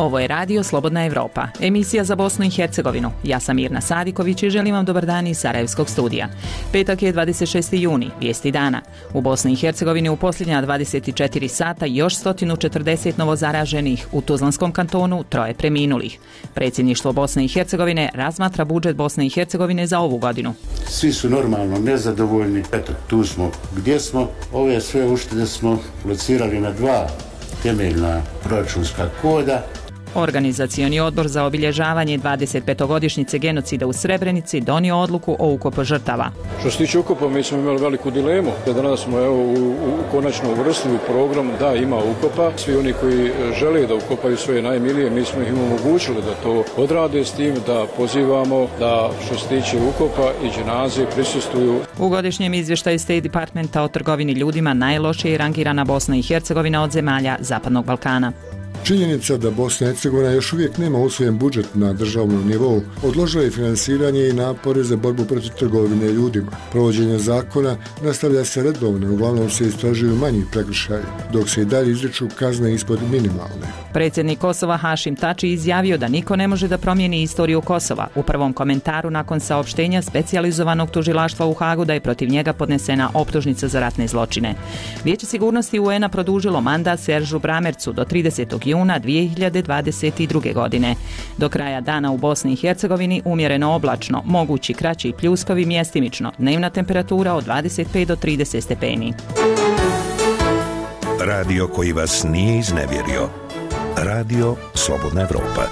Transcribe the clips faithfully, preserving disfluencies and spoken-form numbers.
Ovo je radio Slobodna Evropa, emisija za Bosnu i Hercegovinu. Ja sam Mirna Sadiković i želim vam dobar dan iz Sarajevskog studija. Petak je dvadeset šesti juni, vijesti dana. U Bosni i Hercegovini u posljednja dvadeset četiri sata još sto četrdeset novozaraženih, u Tuzlanskom kantonu troje preminulih. Predsjedništvo Bosne i Hercegovine razmatra budžet Bosne i Hercegovine za ovu godinu. Svi su normalno nezadovoljni. Eto, tu smo gdje smo. Ove sve uštede smo locirali na dva temeljna proračunska koda. Organizacioni odbor za obilježavanje dvadeset petogodišnjice genocida u Srebrenici donio odluku o ukopu žrtava. Što se tiče ukopa, mi smo imali veliku dilemu. Danas smo evo, u, u konačno uvrstili u program da ima ukopa. Svi oni koji žele da ukopaju svoje najmilije, mi smo ih im omogućili da to odrade, s tim da pozivamo da što se tiče ukopa i dženaze prisustvuju. U godišnjem izvještaju State Departmenta o trgovini ljudima najlošije je rangirana Bosna i Hercegovina od zemalja Zapadnog Balkana. Činjenica da Bosna i Hercegovina još uvijek nema usvojen budžet na državnom nivou odložila je finansiranje i napore za borbu protiv trgovine ljudima. Provođenje zakona nastavlja se redovno, uglavnom se istražuju manji prekršaji, dok se i dalje izriču kazne ispod minimalne. Predsjednik Kosova Hašim Tači izjavio da niko ne može da promijeni istoriju Kosova u prvom komentaru nakon saopštenja specijalizovanog tužilaštva u Hagu da je protiv njega podnesena optužnica za ratne zločine. Vijeće sigurnosti U N-a produžilo mandat Seržu Bramercu do tridesetog juna dvije hiljade dvadeset druge. godine. Do kraja dana u Bosni i Hercegovini umjereno oblačno, mogući kraći pljuskovi mjestimično, dnevna temperatura od dvadeset pet do trideset stepeni. Radio koji vas nije iznevjerio. Radio Slobodna Evropa.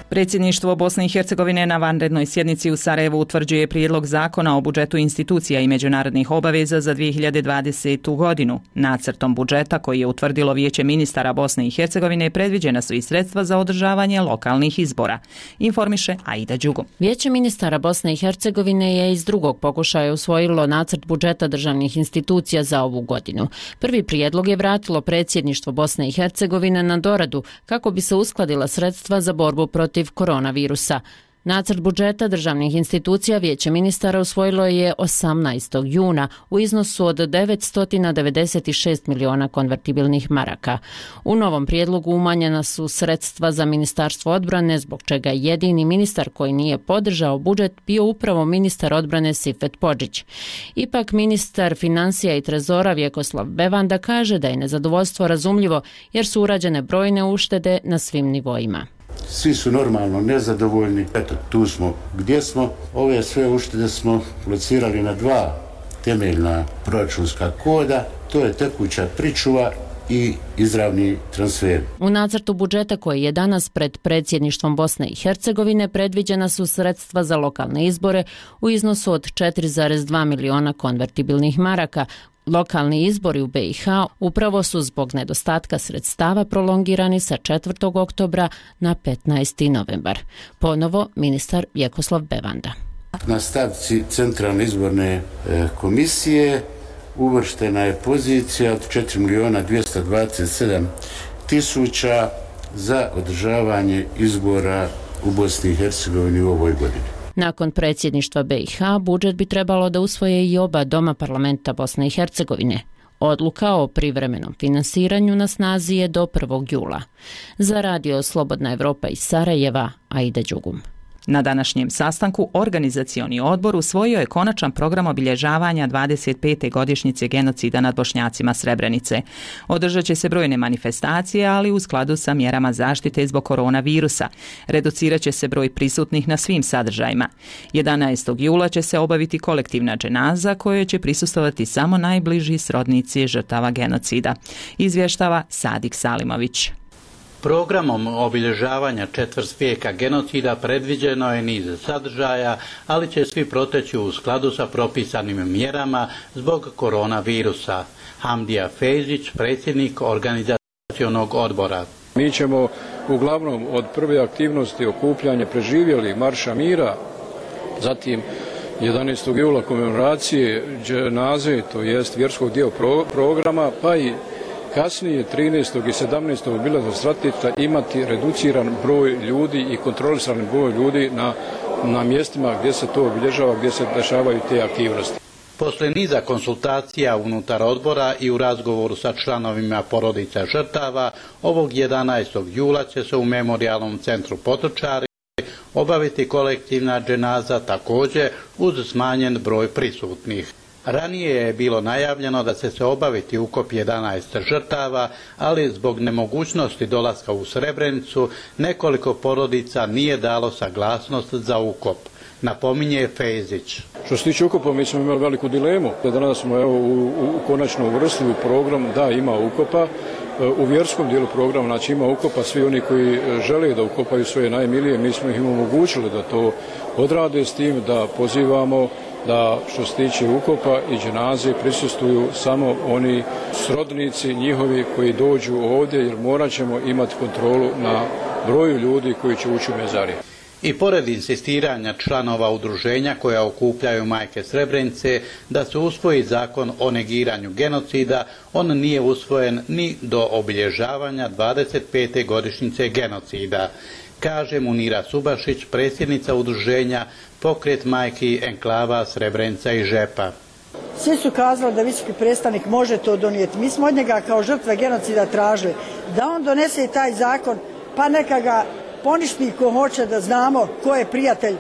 Predsjedništvo Bosne i Hercegovine na vanrednoj sjednici u Sarajevu utvrđuje prijedlog zakona o budžetu institucija i međunarodnih obaveza za dvije hiljade dvadesetu. godinu. Nacrtom budžeta koji je utvrdilo Vijeće ministara Bosne i Hercegovine predviđena su i sredstva za održavanje lokalnih izbora. Informiše Aida Đugo. Vijeće ministara Bosne i Hercegovine je iz drugog pokušaja usvojilo nacrt budžeta državnih institucija za ovu godinu. Prvi prijedlog je vratilo predsjedništvo Bosne i Hercegovine na doradu kako bi se uskladila sredstva za borbu protiv koronavirusa. Nacrt budžeta državnih institucija Vijeće ministara usvojilo je osamnaestog juna u iznosu od devetsto devedeset šest miliona konvertibilnih maraka. U novom prijedlogu umanjena su sredstva za Ministarstvo odbrane, zbog čega jedini ministar koji nije podržao budžet bio upravo ministar odbrane Sifet Podžić. Ipak ministar financija i trezora Vjekoslav Bevanda kaže da je nezadovoljstvo razumljivo jer su urađene brojne uštede na svim nivoima. Svi su normalno nezadovoljni. Eto, tu smo gdje smo. Ove sve uštede smo locirali na dva temeljna proračunska koda. To je tekuća pričuva i izravni transfer. U nacrtu budžeta koji je danas pred predsjedništvom Bosne i Hercegovine predviđena su sredstva za lokalne izbore u iznosu od četiri zarez dva miliona konvertibilnih maraka. Lokalni izbori u be i ha upravo su zbog nedostatka sredstava prolongirani sa četvrtog oktobra na petnaesti novembar. Ponovo ministar Vjekoslav Bevanda. Na stavci Centralne izborne e, komisije uvrštena je pozicija od četiri miliona dvjesto dvadeset sedam tisuća za održavanje izbora u Bosni i Hercegovini u ovoj godini. Nakon predsjedništva be i ha, budžet bi trebalo da usvoje i oba doma parlamenta Bosne i Hercegovine. Odluka o privremenom finansiranju na snazi je do prvog jula. Za radio Slobodna Evropa iz Sarajeva, Aida Đugum. Na današnjem sastanku organizacioni odbor usvojio je konačan program obilježavanja dvadeset pete godišnjice genocida nad Bošnjacima Srebrenice. Održat će se brojne manifestacije, ali u skladu sa mjerama zaštite zbog koronavirusa. Reducirat će se broj prisutnih na svim sadržajima. jedanaestog jula će se obaviti kolektivna dženaza kojoj će prisustvovati samo najbliži srodnici žrtava genocida. Izvještava Sadik Salimović. Programom obilježavanja četvrt vijeka genocida predviđeno je niz sadržaja, ali će svi proteći u skladu sa propisanim mjerama zbog koronavirusa. Hamdija Fejzić, predsjednik organizacionog odbora. Mi ćemo uglavnom od prve aktivnosti okupljanja preživjeli Marša mira, zatim jedanaestog jula komemoracije dženaze, to jest vjerskog dio pro, programa, pa i kasnije trinaestog i sedamnaestog obilazak stratišta imati reduciran broj ljudi i kontrolisan broj ljudi na, na mjestima gdje se to obilježava, gdje se dešavaju te aktivnosti. Poslije niza konsultacija unutar odbora i u razgovoru sa članovima porodica žrtava, ovog jedanaestog jula će se u Memorijalnom centru Potočari obaviti kolektivna dženaza, također uz smanjen broj prisutnih. Ranije je bilo najavljeno da će se obaviti ukop jedanaest žrtava, ali zbog nemogućnosti dolaska u Srebrenicu nekoliko porodica nije dalo saglasnost za ukop. Napominje Fejzić. Što se tiče ukopa, mi smo imali veliku dilemu. Danas smo evo, u, u konačno uvrstili program da ima ukopa. U vjerskom dijelu programa znači ima ukopa, svi oni koji žele da ukopaju svoje najmilije, mi smo ih im omogućili da to odrade, s tim da pozivamo da što se tiče ukopa i dženaze prisustvuju samo oni srodnici njihovi koji dođu ovdje, jer morat ćemo imati kontrolu na broju ljudi koji će ući u mezarije. I pored insistiranja članova udruženja koja okupljaju majke Srebrenice da se usvoji zakon o negiranju genocida, on nije usvojen ni do obilježavanja dvadeset pete godišnjice genocida, kaže Munira Subašić, predsjednica udruženja Pokret majki enklava Srebrenica i Žepa. Svi su kazali da visoki predstavnik može to donijeti. Mi smo od njega kao žrtve genocida tražili da on donese i taj zakon, pa neka ga poništi ko hoće, da znamo ko je prijatelj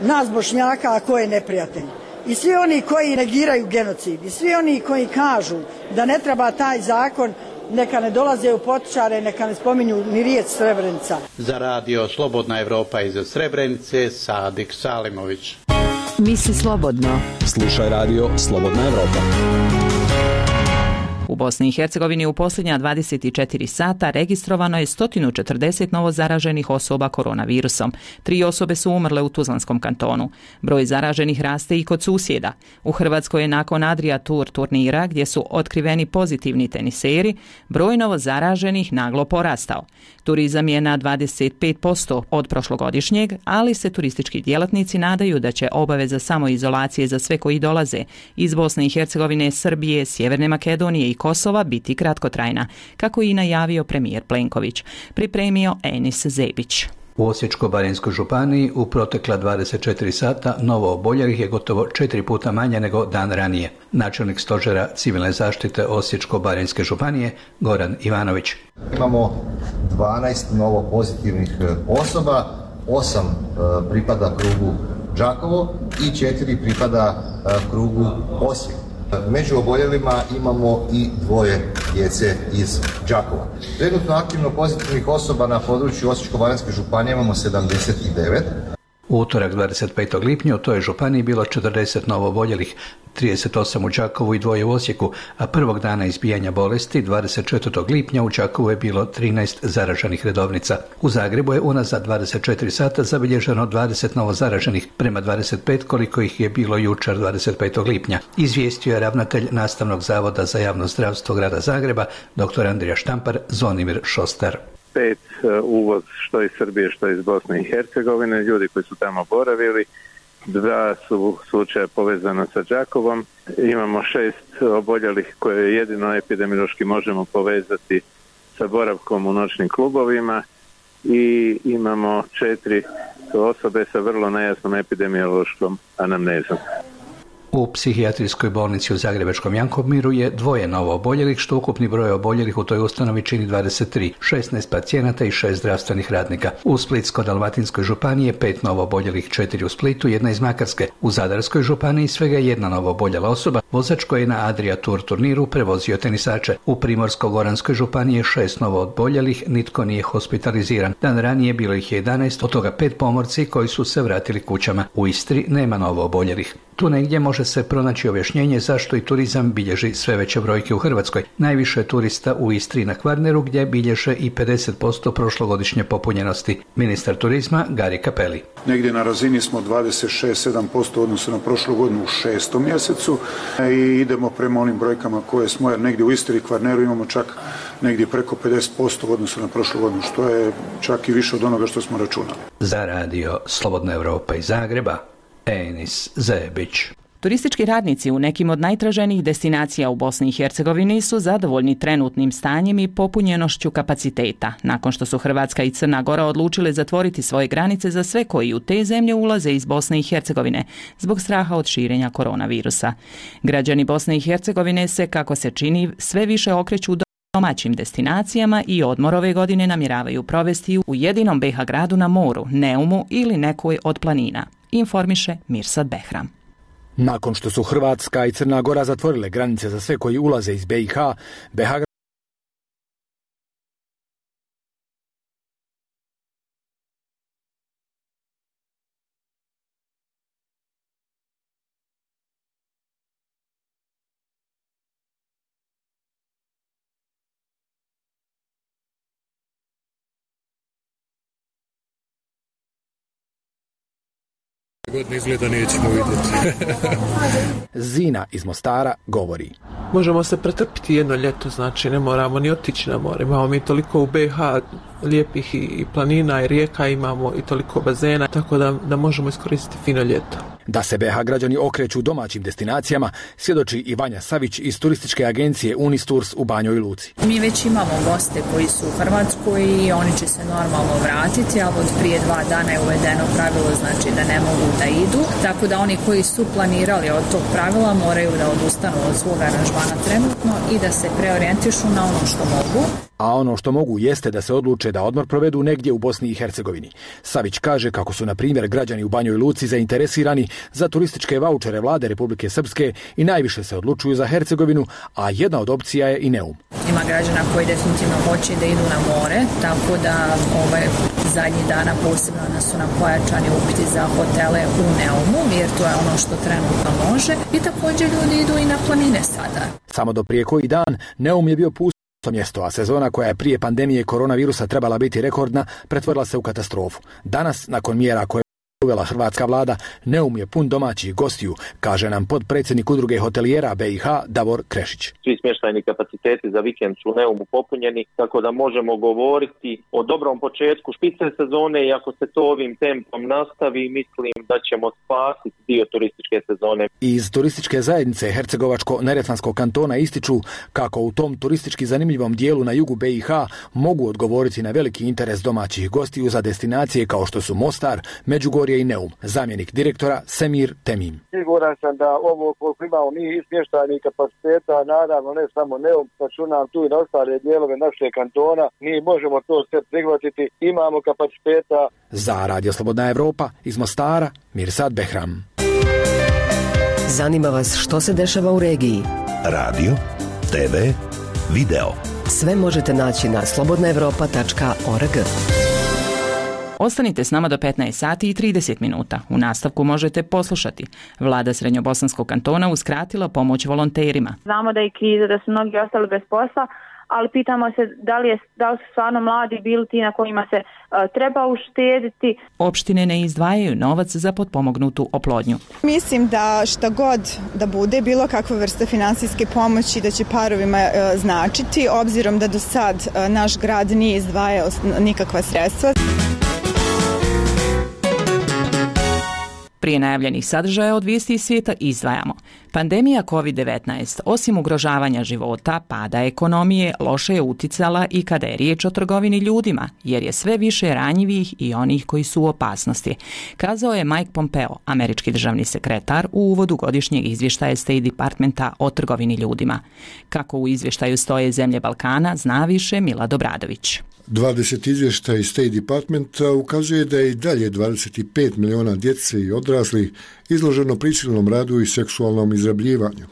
nas Bošnjaka, a ko je neprijatelj. I svi oni koji negiraju genocid, i svi oni koji kažu da ne treba taj zakon, neka ne dolaze u Potočare, neka ne spominju ni riječ Srebrenica. Za radio Slobodna Evropa iz Srebrenice, Sadik Salimović. Misli slobodno. Slušaj radio Slobodna Evropa. U Bosni i Hercegovini u posljednja dvadeset četiri sata registrovano je sto četrdeset novo zaraženih osoba koronavirusom. Tri osobe su umrle u Tuzlanskom kantonu. Broj zaraženih raste i kod susjeda. U Hrvatskoj je nakon Adria Tour turnira, gdje su otkriveni pozitivni teniseri, broj novo zaraženih naglo porastao. Turizam je na dvadeset pet posto od prošlogodišnjeg, ali se turistički djelatnici nadaju da će obaveza samoizolacije za sve koji dolaze iz Bosne i Hercegovine, Srbije, Sjeverne Makedonije i Kosova biti kratkotrajna, kako i najavio premijer Plenković. Pripremio Enis Zebić. U Osječko-baranjskoj županiji u protekla dvadeset četiri sata novo oboljelih je gotovo četiri puta manje nego dan ranije. Načelnik stožera civilne zaštite Osječko-baranjske županije Goran Ivanović. Imamo dvanaest novo pozitivnih osoba, osam pripada krugu Đakovo i četiri pripada krugu Osijek. Među oboljelima imamo i dvoje djece iz Đakova. Trenutno aktivno pozitivnih osoba na području Osječko-baranjske županije imamo sedamdeset devet. U utorak dvadeset petog lipnja u toj županiji bilo četrdeset novo oboljelih, trideset osam u Đakovu i dvoje u Osijeku, a prvog dana izbijanja bolesti dvadeset četvrtog lipnja u Đakovu je bilo trinaest zaraženih redovnica. U Zagrebu je unazad dvadeset četiri sata zabilježeno dvadeset novo zaraženih, prema dvadeset pet koliko ih je bilo jučer dvadeset petog lipnja. Izvijestio je ravnatelj Nastavnog zavoda za javno zdravstvo grada Zagreba, doktor Andrija Štampar, Zvonimir Šostar. Pet uvoz što iz Srbije, što iz Bosne i Hercegovine, ljudi koji su tamo boravili, dva su slučaja povezana sa Đakovom, imamo šest oboljelih koje jedino epidemiološki možemo povezati sa boravkom u noćnim klubovima i imamo četiri osobe sa vrlo nejasnom epidemiološkom anamnezom. U psihijatrijskoj bolnici u Zagrebačkom Jankomiru je dvoje novo oboljelih, što ukupni broj oboljelih u toj ustanovi čini dvadeset tri, šesnaest pacijenata i šest zdravstvenih radnika. U Splitsko-dalmatinskoj županiji je pet novo oboljelih, četiri u Splitu, jedna iz Makarske. U Zadarskoj županiji svega jedna novo oboljela osoba, vozač koji je na Adria Tour turniru prevozio tenisače. U Primorsko-goranskoj županiji je šest novo oboljelih, nitko nije hospitaliziran. Dan ranije bilo ih je jedanaest, od toga pet pomorci koji su se vratili kućama. U Istri nema novo oboljelih. Tu negdje može se pronaći objašnjenje zašto i turizam bilježi sve veće brojke u Hrvatskoj. Najviše je turista u Istri na Kvarneru, gdje bilježe i pedeset posto prošlogodišnje popunjenosti. Ministar turizma Gari Cappelli. Negdje na razini smo dvadeset šest do sedam posto odnosno na prošlu godinu u šestom mjesecu i idemo prema onim brojkama koje smo, jer negdje u Istri i Kvarneru imamo čak negdje preko pedeset posto odnosno na prošlu godinu, što je čak i više od onoga što smo računali. Za radio Slobodna Evropa iz Zagreba, Enis Zebić. Turistički radnici u nekim od najtraženijih destinacija u Bosni i Hercegovini su zadovoljni trenutnim stanjem i popunjenošću kapaciteta, nakon što su Hrvatska i Crna Gora odlučile zatvoriti svoje granice za sve koji u te zemlje ulaze iz Bosne i Hercegovine zbog straha od širenja koronavirusa. Građani Bosne i Hercegovine se, kako se čini, sve više okreću do domaćim destinacijama i odmor ove godine namjeravaju provesti u jedinom be ha gradu na moru, Neumu ili nekoj od planina, informiše Mirsad Behram. Nakon što su Hrvatska i Crna Gora zatvorile granice za sve koji ulaze iz be i ha, be ha godine izgleda nećemo vidjeti. Zina iz Mostara govori. Možemo se pretrpiti jedno ljeto, znači ne moramo ni otići na more. Imamo mi toliko u be ha lijepih i planina i rijeka, imamo i toliko bazena, tako da, da možemo iskoristiti fino ljeto. Da se be ha građani okreću domaćim destinacijama, svjedoči i Vanja Savić iz turističke agencije Unistours u Banjoj Luci. Mi već imamo goste koji su u Hrvatskoj i oni će se normalno vratiti, ali od prije dva dana je uvedeno pravilo, znači da ne mogu da idu, tako da oni koji su planirali od tog pravila moraju da odustanu od svog aranžmana trenutno i da se preorijentišu na ono što mogu. A ono što mogu jeste da se odluče da odmor provedu negdje u Bosni i Hercegovini. Savić kaže kako su, na primjer, građani u Banjoj Luci zainteresirani za turističke vaučere vlade Republike Srpske i najviše se odlučuju za Hercegovinu, a jedna od opcija je i Neum. Ima građana koji definitivno hoće da idu na more, tako da ovaj zadnji dana posebno nas su nam pojačani upiti za hotele u Neumu, jer to je ono što trenutno može. I također ljudi idu i na planine sada. Samo do prije koji dan Neum je bio pust mjesto, a sezona koja je prije pandemije koronavirusa trebala biti rekordna, pretvorila se u katastrofu. Danas, nakon mjera koje uvela hrvatska vlada, Neum je pun domaćih gostiju, kaže nam potpredsjednik udruge hotelijera be i ha Davor Krešić. Svi smještajni kapaciteti za vikend su u Neumu popunjeni, tako da možemo govoriti o dobrom početku špice sezone i ako se to ovim tempom nastavi, mislim da ćemo spasiti dio turističke sezone. Iz turističke zajednice Hercegovačko-Neretvanskog kantona ističu kako u tom turistički zanimljivom dijelu na jugu be i ha mogu odgovoriti na veliki interes domaćih gostiju za destinacije kao što su Mostar, Međugorje i Neum. Zamjenik direktora Semir Temim. Siguran sam da ovo koliko imamo mi smještajnih kapaciteta, naravno ne samo Neum, računam tu i na ostale dijelove našeg kantona, mi možemo to sve prihvatiti, imamo kapaciteta. Za Radio Slobodna Evropa iz Mostara, Mirsad Behram. Zanima vas što se dešava u regiji? Radio, te ve, video. Sve možete naći na slobodna evropa tačka org. Ostanite s nama do petnaest sati i trideset minuta. U nastavku možete poslušati. Vlada Srednjobosanskog kantona uskratila pomoć volonterima. Znamo da je kriza, da su mnogi ostali bez posla, ali pitamo se da li, je, da li su stvarno mladi bili ti na kojima se uh, treba uštediti. Opštine ne izdvajaju novac za potpomognutu oplodnju. Mislim da šta god da bude, bilo kakva vrsta finansijske pomoći da će parovima uh, značiti, obzirom da do sad uh, naš grad nije izdvajao nikakva sredstva. Prije najavljenih sadržaja od vijesti iz svijeta izdvajamo. Pandemija kovid devetnaest, osim ugrožavanja života, pada ekonomije, loše je uticala i kada je riječ o trgovini ljudima, jer je sve više ranjivih i onih koji su u opasnosti, kazao je Mike Pompeo, američki državni sekretar, u uvodu godišnjeg izvještaja State Departmenta o trgovini ljudima. Kako u izvještaju stoje zemlje Balkana, zna više Milad Obradović. dvadeset izvještaja iz State Departmenta ukazuje da je i dalje dvadeset pet miliona djece i odraslih izloženo prisilnom radu i seksualnom izrabljivanju.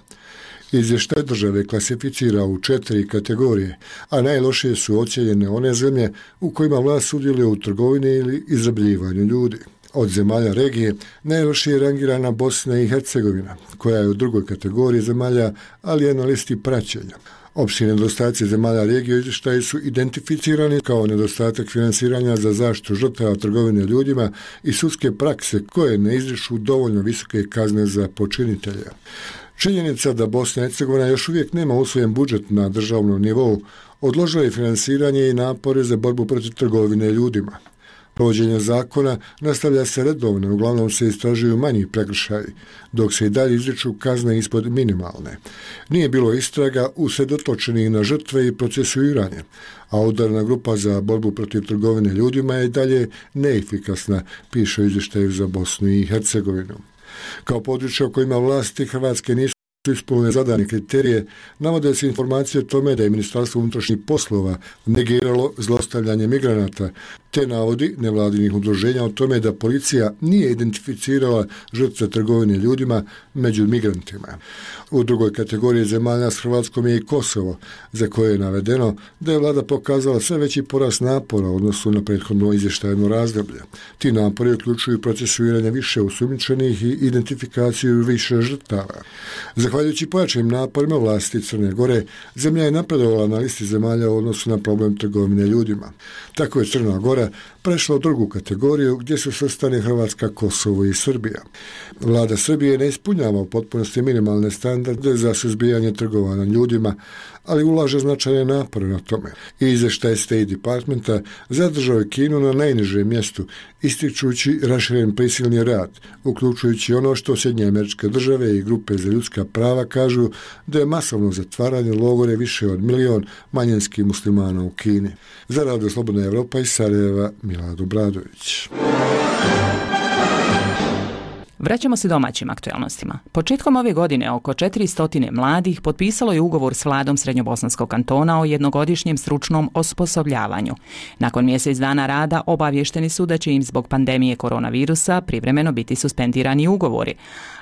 Izvještaj države klasificira u četiri kategorije, a najlošije su ocijenjene one zemlje u kojima vlast sudjeluje u trgovini ili izrabljivanju ljudi. Od zemalja regije najlošije je rangirana Bosna i Hercegovina, koja je u drugoj kategoriji zemalja, ali je na listi praćenja. Opći nedostaci zemalja regije u izvještaju su identificirani kao nedostatak finansiranja za zaštitu žrtava trgovine ljudima i sudske prakse koje ne izriču dovoljno visoke kazne za počinitelja. Činjenica da Bosna i Hercegovina još uvijek nema usvojen budžet na državnom nivou odložila je finansiranje i napore za borbu protiv trgovine ljudima. Provođenje zakona nastavlja se redovno, uglavnom se istražuju manji prekršaji, dok se i dalje izriču kazne ispod minimalne. Nije bilo istraga usredotočenih na žrtve i procesuiranje, a udarna grupa za borbu protiv trgovine ljudima je i dalje neefikasna, piše u izvještaju za Bosnu i Hercegovinu. Kao područje o kojima vlasti Hrvatske nisu ispunile zadane kriterije, navode se informacije o tome da je Ministarstvo unutrašnjih poslova negiralo zlostavljanje migranata, te navodi nevladinih udruženja o tome da policija nije identificirala žrtve trgovine ljudima među migrantima. U drugoj kategoriji zemalja s Hrvatskom je i Kosovo, za koje je navedeno da je vlada pokazala sve veći porast napora u odnosu na prethodno izvještajno razdoblje. Ti napori uključuju procesuiranje više osumnjičenih i identifikaciju više žrtava. Zahvaljujući pojačanim naporima vlasti Crne Gore, zemlja je napredovala na listi zemalja u odnosu na problem trgovine ljudima. Tako je Crna Gora prešla u drugu kategoriju gdje su svrstane Hrvatska, Kosovo i Srbija. Vlada Srbije ne ispunjava u potpunosti minimalne standarde za suzbijanje trgovanja ljudima, ali ulaže značajne napore na tome. I izvještaj State Departmenta zadržao je Kinu na najnižem mjestu, ističući raširen prisilni rad, uključujući ono što Sjedinjene Američke Države i grupe za ljudska prava kažu da je masovno zatvaranje logore više od milion manjinskih muslimana u Kini. Za Radio Slobodna Evropa iz Sarajeva, Milad Obradović. Vraćamo se domaćim aktualnostima. Početkom ove godine oko četiristo mladih potpisalo je ugovor s vladom Srednjobosanskog kantona o jednogodišnjem stručnom osposobljavanju. Nakon mjesec dana rada obavješteni su da će im zbog pandemije koronavirusa privremeno biti suspendirani ugovori,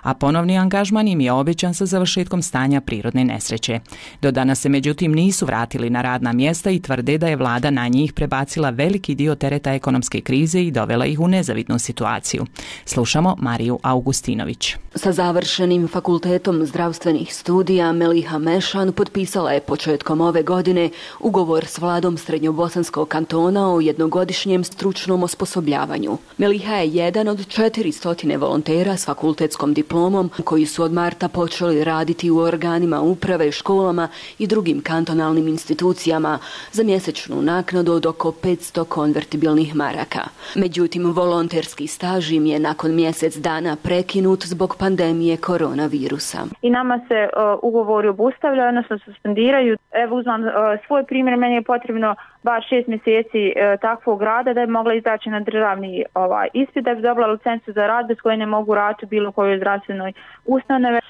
a ponovni angažman im je obećan sa završetkom stanja prirodne nesreće. Do danas se međutim nisu vratili na radna mjesta i tvrde da je vlada na njih prebacila veliki dio tereta ekonomske krize i dovela ih u nezavidnu situaciju. Slušamo Mariju Augustinović. Sa završenim fakultetom zdravstvenih studija Meliha Mešan potpisala je početkom ove godine ugovor s vladom Srednjobosanskog kantona o jednogodišnjem stručnom osposobljavanju. Meliha je jedan od četiristo volontera s fakultetskom diplomom koji su od marta počeli raditi u organima uprave, školama i drugim kantonalnim institucijama za mjesečnu naknadu od oko petsto konvertibilnih maraka. Međutim, volonterski staž im je nakon mjesec dana prekinut zbog pandemije koronavirusa. I nama se uh, ugovori obustavljaju, odnosno suspendiraju. Evo uzmam uh, svoj primjer, meni je potrebno bar šest mjeseci uh, takvog rada da bi mogla izaći na državni ovaj, ispit, da bi dobila licencu za rad bez koje ne mogu raditi u bilo kojoj zdravstvenoj ustanovi. Uh,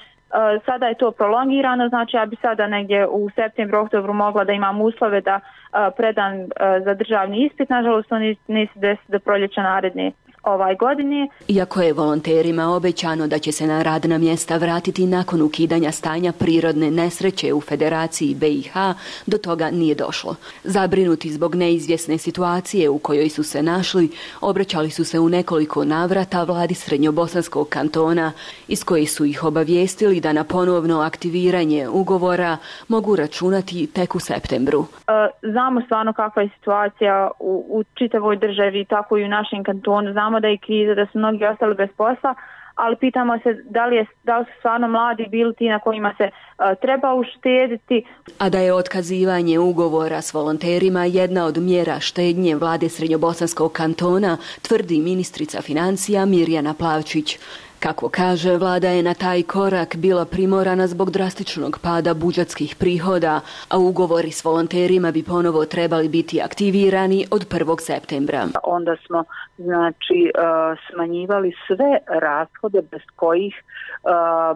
sada je to prolongirano, znači ja bi sada negdje u septembru, oktobru mogla da imam uslove da uh, predam uh, za državni ispit, nažalost to neće desiti do proljeća naredne ovaj godine. Iako je volonterima obećano da će se na radna mjesta vratiti nakon ukidanja stanja prirodne nesreće u Federaciji B i H, do toga nije došlo. Zabrinuti zbog neizvjesne situacije u kojoj su se našli, obraćali su se u nekoliko navrata vladi Srednjobosanskog kantona, iz kojih su ih obavijestili da na ponovno aktiviranje ugovora mogu računati tek u septembru. Znamo stvarno kakva je situacija u, u čitavoj državi, tako i u našem kantonu. Znamo da je kriza, da su mnogi ostali bez posla, ali pitamo se da li, je, da li su stvarno mladi bili ti na kojima se uh, treba uštediti. A da je otkazivanje ugovora s volonterima jedna od mjera štednje vlade Srednjobosanskog kantona, tvrdi ministrica financija Mirjana Plavčić. Kako kaže, vlada je na taj korak bila primorana zbog drastičnog pada budžetskih prihoda, a ugovori s volonterima bi ponovo trebali biti aktivirani od prvog septembra. Onda smo znači smanjivali sve rashode bez kojih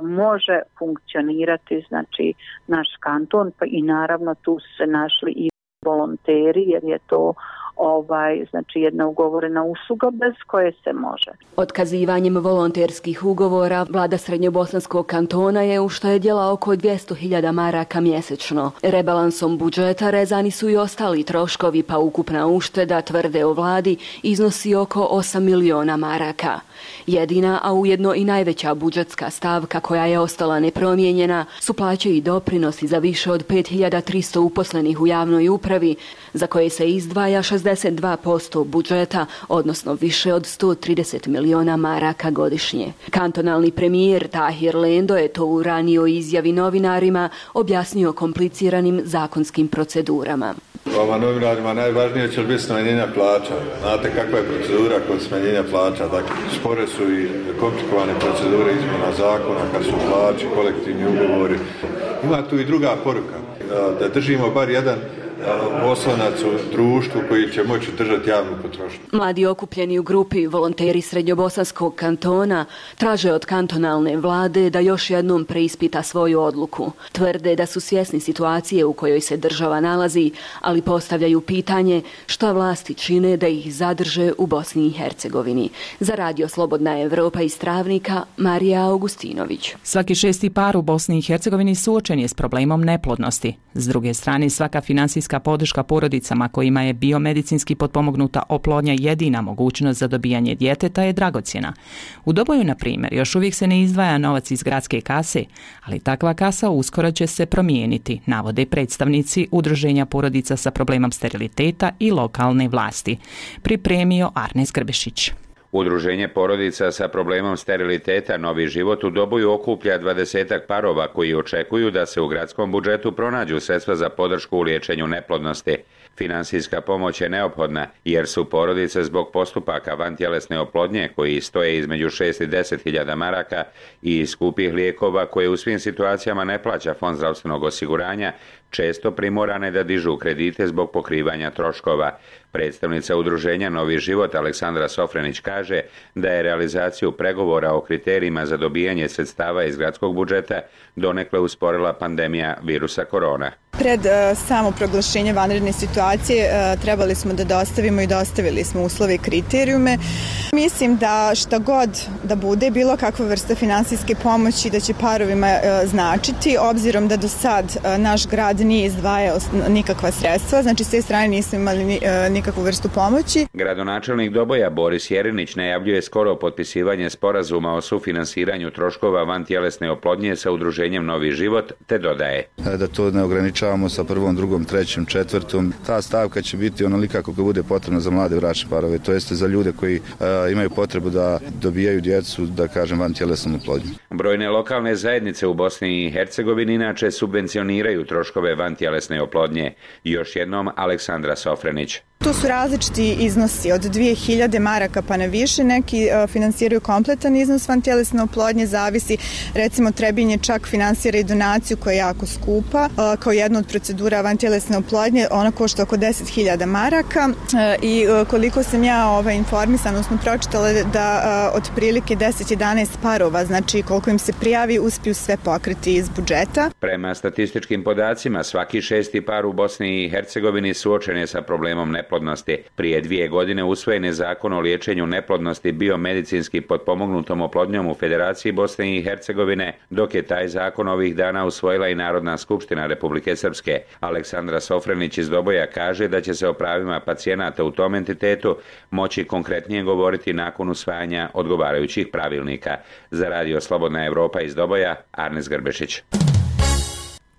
može funkcionirati znači naš kanton, pa i naravno tu su se našli i volonteri jer je to ovaj, znači jedna ugovorena usluga bez koje se može. Otkazivanjem volonterskih ugovora vlada Srednjobosanskog kantona je uštedjela oko dvjesto hiljada maraka mjesečno. Rebalansom budžeta rezani su i ostali troškovi, pa ukupna ušteda, tvrde o vladi, iznosi oko osam miliona maraka. Jedina, a ujedno i najveća budžetska stavka koja je ostala nepromijenjena su plaće i doprinosi za više od pet hiljada tristo uposlenih u javnoj upravi, za koje se izdvaja šezdeset dva posto budžeta, odnosno više od sto trideset miliona maraka godišnje. Kantonalni premijer Tahir Lendo je to u ranijoj izjavi novinarima objasnio kompliciranim zakonskim procedurama. Vama novinarima najvažnije će biti smanjenja plaća. Znate kakva je procedura kod smanjenja plaća. Dakle, spore su i komplikovane procedure izmjena zakona, kad su plaći, kolektivni ugovori. Ima tu i druga poruka, da držimo bar jedan oslonac u društvu koji će moći držati javnu potrošnju. Mladi okupljeni u grupi volonteri Srednjobosanskog kantona traže od kantonalne vlade da još jednom preispita svoju odluku. Tvrde da su svjesni situacije u kojoj se država nalazi, ali postavljaju pitanje šta vlasti čine da ih zadrže u Bosni i Hercegovini. Za Radio Slobodna Evropa iz Travnika, Marija Augustinović. Svaki šesti par u Bosni i Hercegovini suočen je s problemom neplodnosti. S druge strane, svaka finansijska podrška porodicama kojima je biomedicinski potpomognuta oplodnja jedina mogućnost za dobijanje djeteta je dragocjena. U Doboju, na primjer, još uvijek se ne izdvaja novac iz gradske kase, ali takva kasa uskoro će se promijeniti, navode predstavnici Udruženja porodica sa problemom steriliteta i lokalne vlasti. Pripremio Arnes Grbešić. Udruženje porodica sa problemom steriliteta Novi život u Doboju okuplja dvadesetak parova koji očekuju da se u gradskom budžetu pronađu sredstva za podršku u liječenju neplodnosti. Finansijska pomoć je neophodna jer su porodice zbog postupaka vantjelesne oplodnje koji stoje između šest i deset hiljada maraka i skupih lijekova koje u svim situacijama ne plaća Fond zdravstvenog osiguranja često primorane da dižu kredite zbog pokrivanja troškova. Predstavnica udruženja Novi život Aleksandra Sofrenić kaže da je realizaciju pregovora o kriterijima za dobijanje sredstava iz gradskog budžeta donekle usporila pandemija virusa korona. Pred uh, samo proglašenje vanredne situacije uh, trebali smo da dostavimo i dostavili smo uslove i kriterijume. Mislim da šta god da bude, bilo kakva vrsta finansijske pomoći da će parovima uh, značiti, obzirom da do sad uh, naš grad nije izdvajao nikakva sredstva, znači s te strane nismo imali ni, uh, nikakvu vrstu pomoći. Gradonačelnik Doboja Boris Jerinić najavljuje skoro potpisivanje sporazuma o sufinansiranju troškova vantjelesne oplodnje sa udruženjem Novi život, te dodaje da to ne ograničavamo sa prvom, drugom, trećim, četvrtom. Ta stavka će biti onolika koliko bude potrebno za mlade bračne parove, to jeste za ljude koji a, imaju potrebu da dobijaju djecu, da kažem, vantjelesnom oplodnjom. Brojne lokalne zajednice u Bosni i Hercegovini inače subvencioniraju troškove vantjelesne oplodnje. Još jednom Aleksandra Sofrenić. Tu su različiti iznosi od dvije hiljade maraka pa na više, neki uh, finansiraju kompletan iznos vantjelesne oplodnje, zavisi, recimo Trebinje čak finansira i donaciju koja je jako skupa, uh, kao jedna od procedura vantjelesne oplodnje, ona košta oko deset hiljada maraka uh, i uh, koliko sam ja ovaj, informisana, odnosno pročitala da uh, otprilike deset do jedanaest parova, znači koliko im se prijavi, uspiju sve pokriti iz budžeta. Prema statističkim podacima, svaki šesti par u Bosni i Hercegovini suočen je sa problemom neplodnosti. Prije dvije godine usvojen je zakon o liječenju neplodnosti biomedicinski potpomognutom oplodnjom u Federaciji Bosne i Hercegovine, dok je taj zakon ovih dana usvojila i Narodna skupština Republike Srpske. Aleksandra Sofrenić iz Doboja kaže da će se o pravima pacijenata u tom entitetu moći konkretnije govoriti nakon usvajanja odgovarajućih pravilnika. Za Radio Slobodna Evropa iz Doboja, Arnes Grbešić.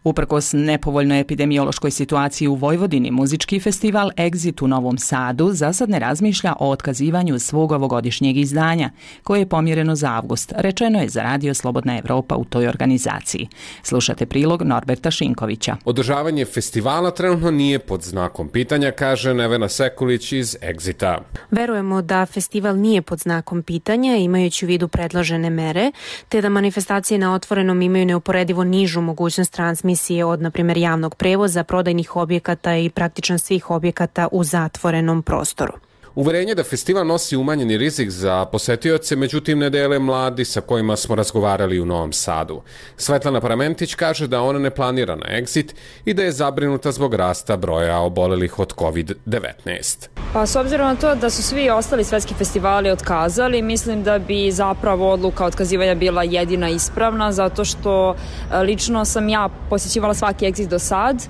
Uprkos nepovoljnoj epidemiološkoj situaciji u Vojvodini, muzički festival Exit u Novom Sadu za sad ne razmišlja o otkazivanju svog ovogodišnjeg izdanja, koje je pomjereno za avgust, rečeno je za Radio Slobodna Evropa u toj organizaciji. Slušate prilog Norberta Šinkovića. Održavanje festivala trenutno nije pod znakom pitanja, kaže Nevena Sekulić iz Exita. Verujemo da festival nije pod znakom pitanja, imajući u vidu predložene mere, te da manifestacije na otvorenom imaju neuporedivo nižu mogućnost transmisije od, na primjer, javnog prevoza, prodajnih objekata i praktično svih objekata u zatvorenom prostoru. Uverenje da festival nosi umanjeni rizik za posetioce, međutim ne dele mladi sa kojima smo razgovarali u Novom Sadu. Svetlana Paramentić kaže da ona ne planira na Exit i da je zabrinuta zbog rasta broja obolelih od kovid devetnaest. Pa s obzirom na to da su svi ostali svetski festivali otkazali, mislim da bi zapravo odluka otkazivanja bila jedina ispravna, zato što lično sam ja posjećivala svaki Exit do sad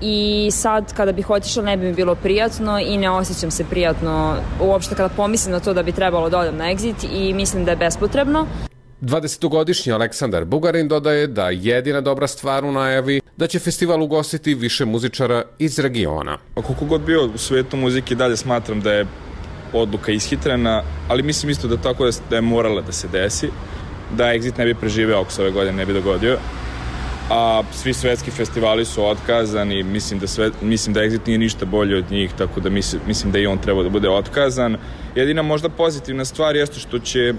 i sad kada bih otišla ne bi mi bilo prijatno i ne osjećam se prijatno uopšte kada pomislim na to da bi trebalo da odem na Exit i mislim da je bespotrebno. dvadesetogodišnji Aleksandar Bugarin dodaje da jedina dobra stvar u najavi da će festival ugostiti više muzičara iz regiona. Koliko god bio u svijetu muzike, dalje smatram da je odluka ishitrena, ali mislim isto da tako da je morala da se desi, da Exit ne bi preživeo ako se ove godine ne bi dogodio. a svi svetski festivali su otkazani, mislim da, sve, mislim da Exit nije ništa bolje od njih, tako da mislim, mislim da i on treba da bude otkazan. Jedina možda pozitivna stvar jeste što će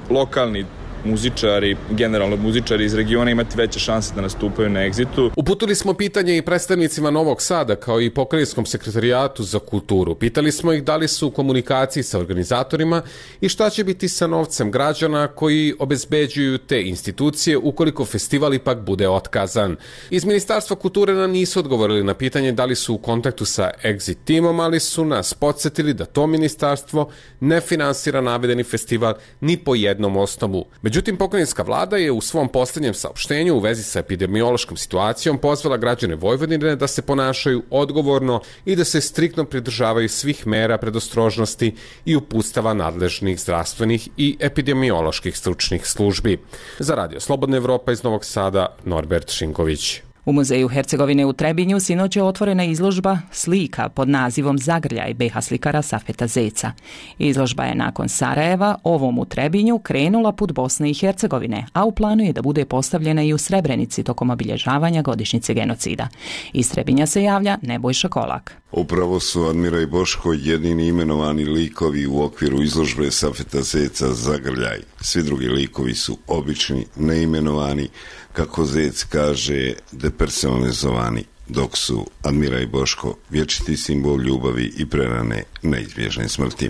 lokalni muzičari, generalno muzičari iz regiona imati veće šanse da nastupaju na Exitu. Uputili smo pitanje i predstavnicima Novog Sada kao i Pokrajinskom sekretarijatu za kulturu. Pitali smo ih da li su u komunikaciji sa organizatorima i šta će biti sa novcem građana koji obezbeđuju te institucije ukoliko festival ipak bude otkazan. Iz Ministarstva kulture nam nisu odgovorili na pitanje da li su u kontaktu sa Exit timom, ali su nas podsjetili da to ministarstvo ne finansira navedeni festival ni po jednom osnovu. Međutim, pokrajinska vlada je u svom posljednjem saopštenju u vezi sa epidemiološkom situacijom pozvala građane Vojvodine da se ponašaju odgovorno i da se striktno pridržavaju svih mera predostrožnosti i uputstava nadležnih zdravstvenih i epidemioloških stručnih službi. Za Radio Slobodna Evropa iz Novog Sada, Norbert Šinković. U Muzeju Hercegovine u Trebinju sinoć je otvorena izložba slika pod nazivom Zagrljaj be ha slikara Safeta Zeca. Izložba je nakon Sarajeva ovom u Trebinju krenula put Bosne i Hercegovine, a u planu je da bude postavljena i u Srebrenici tokom obilježavanja godišnjice genocida. Iz Trebinja se javlja Nebojša Kolak. Upravo su Admira i Boško jedini imenovani likovi u okviru izložbe Safeta Zeca Zagrljaj. Svi drugi likovi su obični, neimenovani, kako Zec kaže, depersonalizovani, dok su Admira i Boško vječiti simbol ljubavi i prerane neizbježne smrti.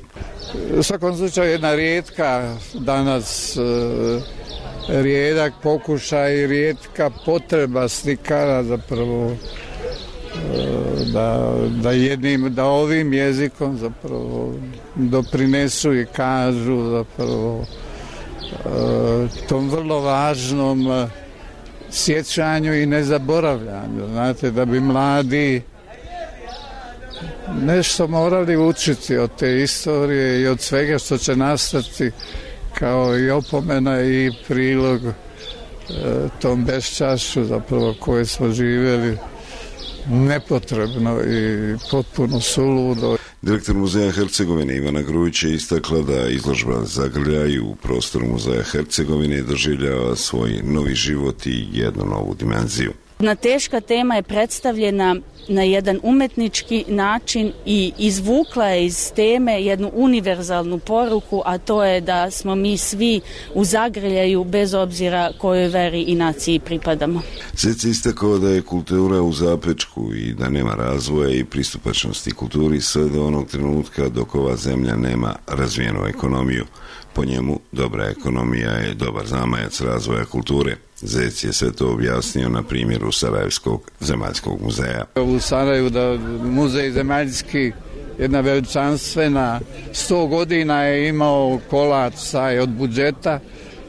U svakom slučaju jedna rijetka danas, rijedak pokušaj, rijetka potreba slikara zapravo da, da jednim, da ovim jezikom zapravo doprinesu i kažu zapravo tom vrlo važnom sjećanju i nezaboravljanju. Znate, da bi mladi nešto morali učiti od te istorije i od svega što će nastati kao i opomena i prilog e, tom beščašću zapravo koje smo živjeli nepotrebno i potpuno suludo. Direktor Muzeja Hercegovine Ivana Grujić je istakla da izložba Zagrljaj u prostoru Muzeja Hercegovine doživljava svoj novi život i jednu novu dimenziju. Jedna teška tema je predstavljena na jedan umetnički način i izvukla je iz teme jednu univerzalnu poruku, a to je da smo mi svi u zagrljaju bez obzira kojoj veri i naciji pripadamo. Zec je istakao da je kultura u zapečku i da nema razvoja i pristupačnosti kulturi sve do onog trenutka dok ova zemlja nema razvijenu ekonomiju. Po njemu, dobra ekonomija je dobar zamajac razvoja kulture. Zec je sve to objasnio na primjeru Sarajevskog zemaljskog muzeja. U Sarajevu da muzej zemaljski, jedna veličanstvena, sto godina je imao kolač saj od budžeta,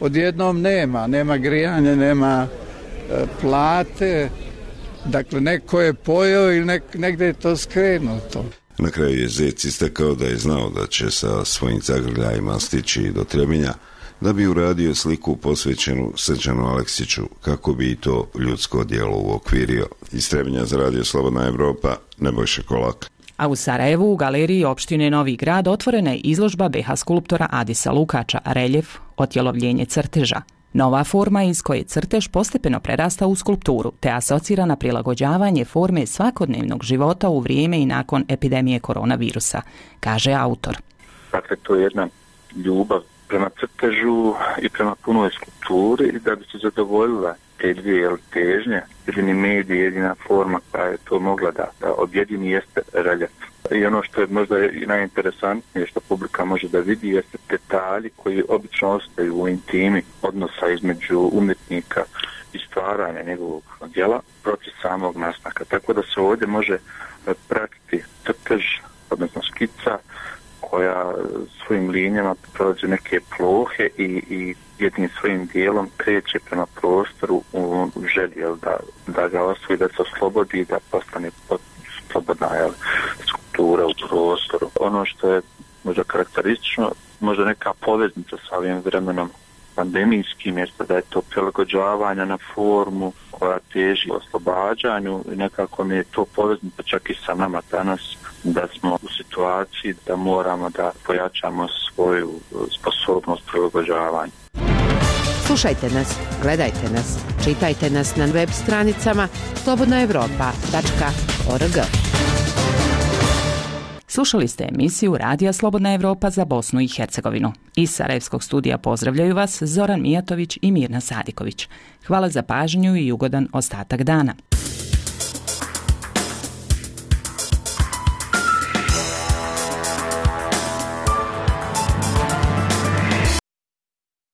odjednom nema, nema grijanja, nema e, plate, dakle neko je pojeo ili nek, negdje je to skrenuto. Na kraju je Zec istakao da je znao da će sa svojim zagrljajima stići do Trebinja, da bi uradio sliku posvećenu Srđanu Aleksiću, kako bi i to ljudsko djelo uokvirio. Iz Trebinja za Radio Slobodna Evropa, Nebojša Kolak. A u Sarajevu u galeriji opštine Novi Grad otvorena je izložba be ha skulptora Adisa Lukača Reljef, otjelovljenje crteža. Nova forma iz koje crtež postepeno prerasta u skulpturu, te asocira na prilagođavanje forme svakodnevnog života u vrijeme i nakon epidemije koronavirusa, kaže autor. Dakle, to je jedna ljubav prema crtežu i prema punoj skulpturi, da bi se zadovoljila te dvije težnje. Jedini medij, jedina forma koja je to mogla da, da objedini jeste reljef. I ono što je možda i najinteresantnije što publika može da vidi jeste detalji koji obično ostaju u intimi odnosa između umjetnika i stvaranja njegovog djela protiv samog nastanka. Tako da se ovdje može pratiti crtež, odnosno skica, koja svojim linijama prolazi neke plohe i, i jednim svojim dijelom kreće prema prostoru u želji da, da ga osvoji, da se oslobodi, da postane slobodna jel, skulptura u prostoru. Ono što je možda karakteristično, možda neka poveznica sa ovim vremenom pandemijskim, jeste da je to prilagođavanja na formu koja teži oslobađanju i nekako mi je to poveznica čak i sa nama danas, da smo u situaciji da moramo da pojačamo svoju sposobnost prilagođavanja. Slušajte nas, gledajte nas, čitajte nas na web stranicama slobodna evropa tačka org. Slušali ste emisiju Radija Slobodna Evropa za Bosnu i Hercegovinu. Iz Sarajevskog studija pozdravljaju vas Zoran Mijatović i Mirna Sadiković. Hvala za pažnju i ugodan ostatak dana.